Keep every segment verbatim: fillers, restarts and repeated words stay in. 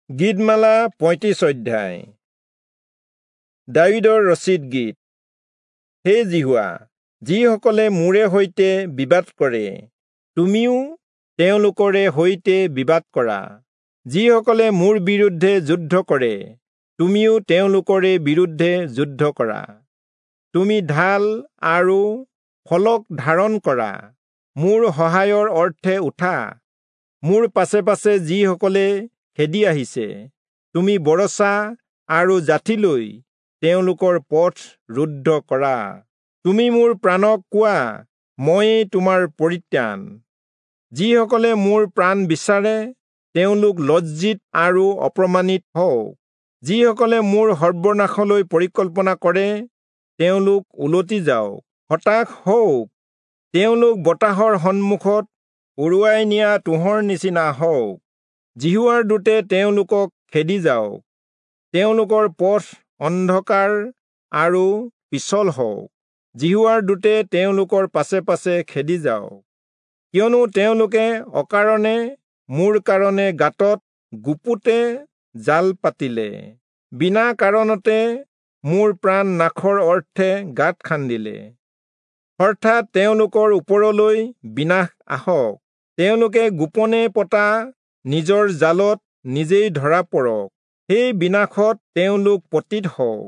গীতমালা পঁয়ত্ৰিশ অধ্যায়। দায়ূদৰ ৰচিত গীত। হে যিহোৱা, যিসকলে মোৰে সৈতে বিবাদ কৰে, তুমিও তেওঁলোকৰে সৈতে বিবাদ কৰা। যিসকলে মোৰ বিৰুদ্ধে যুদ্ধ কৰে, তুমিও তেওঁলোকৰে বিৰুদ্ধে যুদ্ধ কৰা। তুমি ঢাল আৰু ফলক ধাৰণ কৰা, মোৰ সহায়ৰ অৰ্থে উঠা। মোৰ পাছে পাছে যিসকলে খেদি আহিছে, তুমি বৰছা আৰু যাঠি লৈ তেওঁলোকৰ পথ ৰুদ্ধ কৰা। তুমি মোৰ প্ৰাণক কোৱা, ময়েই তোমাৰ পৰিত্ৰাণ। যিসকলে মোৰ প্ৰাণ বিচাৰে, তেওঁলোক লজ্জিত আৰু অপমানিত হওক। যিসকলে মোৰ সৰ্বনাশলৈ পৰিকল্পনা কৰে, তেওঁলোক উলটি যাওক, হতাশ হওক। তেওঁলোক বতাহৰ সন্মুখত উৰুৱাই নিয়া তুঁহৰ নিচিনা হওক। যিহোৱাৰ দূতে তেওঁলোকক খেদি যাওক। তেওঁলোকৰ পথ অন্ধকাৰ আৰু পিছল হওক। যিহোৱাৰ দূতে তেওঁলোকৰ পাছে পাছে খেদি যাওক। কিয়নো তেওঁলোকে অকাৰণে মোৰ কাৰণে গাঁতত গুপুতে জাল পাতিলে, বিনা কাৰণতে মোৰ প্ৰাণ নাশৰ অৰ্থে গাঁত খান্দিলে। অৰ্থাৎ তেওঁলোকৰ ওপৰলৈ বিনাশ আহক। তেওঁলোকে গোপনে পতা নিজৰ জালত নিজেই ধৰা পৰক। সেই বিনাশত তেওঁলোক পতিত হওক।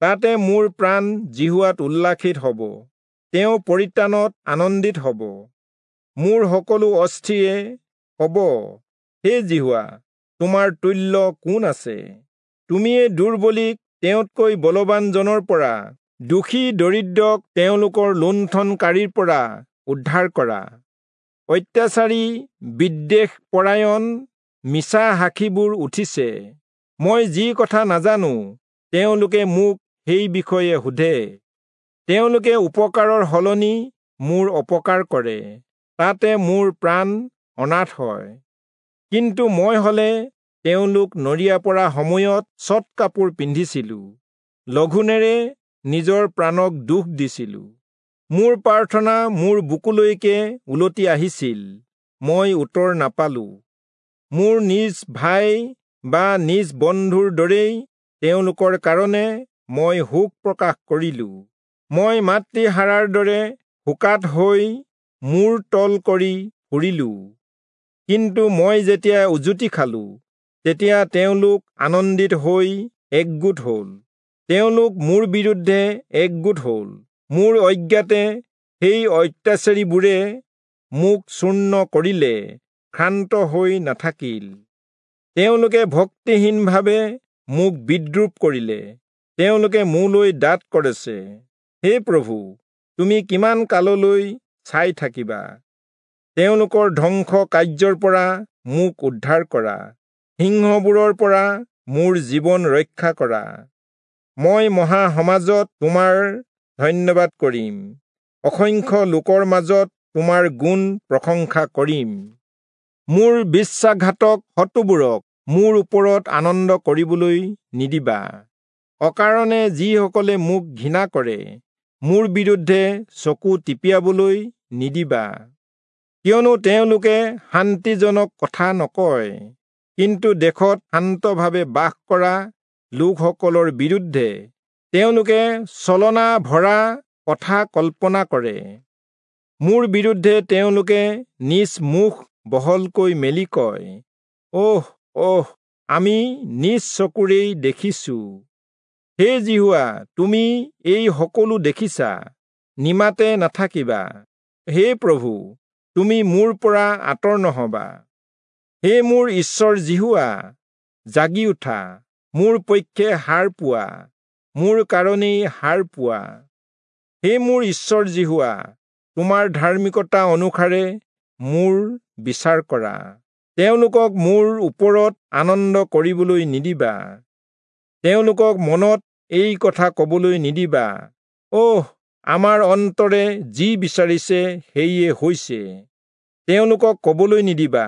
তাতে মোৰ প্ৰাণ যিহোৱাত উল্লাসিত হ'ব, তেওঁ পৰিত্ৰাণত আনন্দিত হ'ব। মোৰ সকলো অস্থিয়ে ক'ব, হে যিহোৱা, তোমাৰ তুল্য কোন আছে? তুমিয়ে দুৰ্বলীক তেওঁতকৈ বলৱানজনৰ পৰা, দোষী দৰিদ্ৰক তেওঁলোকৰ লুণ্ঠনকাৰীৰ পৰা উদ্ধাৰ কৰা। অত্যাচাৰী, বিদ্বেষপৰায়ণ, মিছা সাক্ষীবোৰ উঠিছে। মই যি কথা নাজানো, তেওঁলোকে মোক সেই বিষয়ে সোধে। তেওঁলোকে উপকাৰৰ সলনি মোৰ অপকাৰ কৰে, তাতে মোৰ প্ৰাণ অনাথ হয়। কিন্তু মই হলে তেওঁলোক নৰিয়া পৰা সময়ত চট কাপোৰ পিন্ধিছিলো, লঘোণেৰে নিজৰ প্ৰাণক দুখ দিছিলো। মোৰ প্ৰাৰ্থনা মোৰ বুকুলৈকে উলটি আহিছিল, মই উত্তৰ নাপালো। মোৰ নিজ ভাই বা নিজ বন্ধুৰ দৰেই তেওঁলোকৰ কাৰণে মই শোক প্ৰকাশ কৰিলো। মই মাতৃহাৰাৰ দৰে শোকাত হৈ মূৰ তল কৰি ফুৰিলো। কিন্তু মই যেতিয়া উজুতি খালো, তেতিয়া তেওঁলোক আনন্দিত হৈ একগোট হ'ল। তেওঁলোক মোৰ বিৰুদ্ধে একগোট হ'ল। মোৰ অজ্ঞাতে সেই অত্যাচাৰীবোৰে মোক চূৰ্ণ কৰিলে, ক্ষান্ত হৈ নাথাকিল। তেওঁলোকে ভক্তিহীনভাৱে মোক বিদ্ৰূপ কৰিলে, তেওঁলোকে মোলৈ দাঁত কৰিছে। হে প্ৰভু, তুমি কিমান কাললৈ চাই থাকিবা? তেওঁলোকৰ ধ্বংস কাৰ্যৰ পৰা মোক উদ্ধাৰ কৰা, সিংহবোৰৰ পৰা মোৰ জীৱন ৰক্ষা কৰা। মই মহাসমাজত তোমাৰ ধন্যবাদ কৰিম, অসংখ্য লোকৰ মাজত তোমাৰ গুণ প্ৰশংসা কৰিম। মোৰ বিশ্বাসঘাতক শত্ৰুবোৰক মোৰ ওপৰত আনন্দ কৰিবলৈ নিদিবা। অকাৰণে যিসকলে মোক ঘৃণা কৰে, মোৰ বিৰুদ্ধে চকু টিপিয়াবলৈ নিদিবা। কিয়নো তেওঁলোকে শান্তিজনক কথা নকয়, কিন্তু দেশত শান্তভাৱে বাস কৰা লোকসকলৰ বিৰুদ্ধে তেওঁলোকে ছলনা ভৰা কথা কল্পনা কৰে। মোৰ বিৰুদ্ধে তেওঁলোকে নিজ মুখ বহলকৈ মেলি কয়, অহ অহ, আমি নিজ চকুৰেই দেখিছো। হে যিহোৱা, তুমি এই সকলো দেখিছা, নিমাতে নাথাকিবা। হে প্ৰভু, তুমি মোৰ পৰা আঁতৰ নহবা। হে মোৰ ঈশ্বৰ যিহোৱা, জাগি উঠা, মোৰ পক্ষে সাৰ পোৱা, মোৰ কাৰণেই সাৰ পোৱা। হে মোৰ ঈশ্বৰ যিহোৱা, তোমাৰ ধাৰ্মিকতা অনুসাৰে মোৰ বিচাৰ কৰা। তেওঁলোকক মোৰ ওপৰত আনন্দ কৰিবলৈ নিদিবা। তেওঁলোকক মনত এই কথা কবলৈ নিদিবা, অহ, আমাৰ অন্তৰে যি বিচাৰিছে সেয়ে হৈছে। তেওঁলোকক কবলৈ নিদিবা,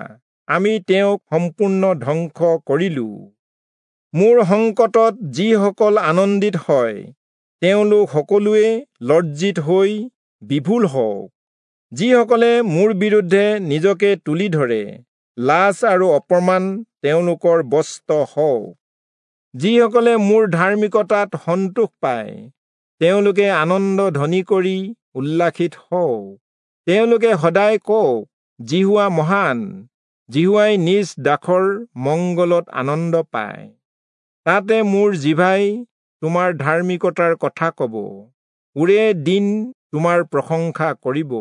আমি তেওঁক সম্পূৰ্ণ ধ্বংস কৰিলো। মোৰ সংকটত যিসকল আনন্দিত হয়, তেওঁলোক সকলোৱে লজ্জিত হৈ বিভোল হওক। যিসকলে মোৰ বিৰুদ্ধে নিজকে তুলি ধৰে, লাজ আৰু অপমান তেওঁলোকৰ বস্ত্ৰ হওক। যিসকলে মোৰ ধাৰ্মিকতাত সন্তোষ পায়, তেওঁলোকে আনন্দ ধ্বনি কৰি উল্লাসিত হওক। তেওঁলোকে সদায় কওক, যিহোৱা মহান, যিহোৱাই নিজ দাসৰ মংগলত আনন্দ পায়। তাতে মোৰ জিভাই তোমাৰ ধাৰ্মিকতাৰ কথা কব, ওৰে দিন তোমাৰ প্ৰশংসা কৰিব।